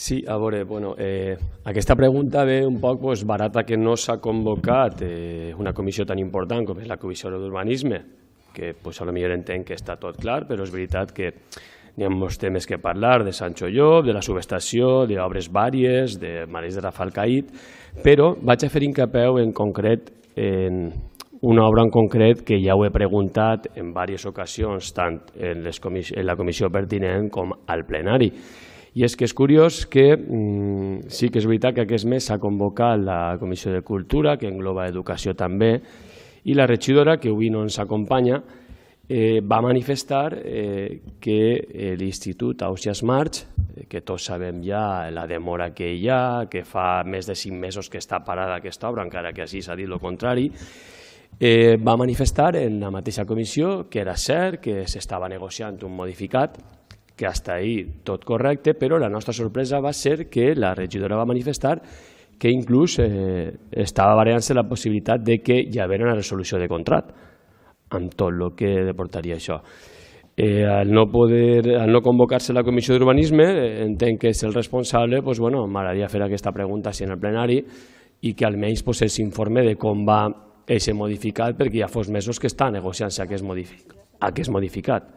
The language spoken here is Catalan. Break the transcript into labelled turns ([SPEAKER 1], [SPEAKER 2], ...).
[SPEAKER 1] Sí, a veure, aquesta pregunta ve un poc barata que no s'ha convocat una comissió tan important com és la Comissió d'Urbanisme, que potser entenc que està tot clar, però és veritat que n'hi ha molts temes que parlar, de Sancho Llop, de la subestació, d'obres vàries, de Marès de Rafelcaït, però vaig a fer hincapié en concret en una obra en concret que ja ho he preguntat en diverses ocasions, tant en la comissió pertinent com al plenari. I és que és curiós que sí que és veritat que aquest mes s'ha convocat la Comissió de Cultura, que engloba educació també, i la regidora, que avui no ens acompanya, va manifestar que l'Institut Ausiàs March, que tots sabem ja la demora que hi ha, que fa més de 5 mesos que està parada aquesta obra, encara que així s'ha dit el contrari, va manifestar en la mateixa comissió que era cert que s'estava negociant un modificat, que fins ahí tot correcte, però la nostra sorpresa va ser que la regidora va manifestar que inclús estava barallant-se la possibilitat de que hi hagués una resolució de contracte, amb tot el que portaria això. Al no convocar-se la Comissió d'Urbanisme, entenc que és el responsable, m'agradaria fer aquesta pregunta en el plenari i que almenys s'informe de com va aquest modificat, perquè ja fa mesos que està negociant-se aquest modificat.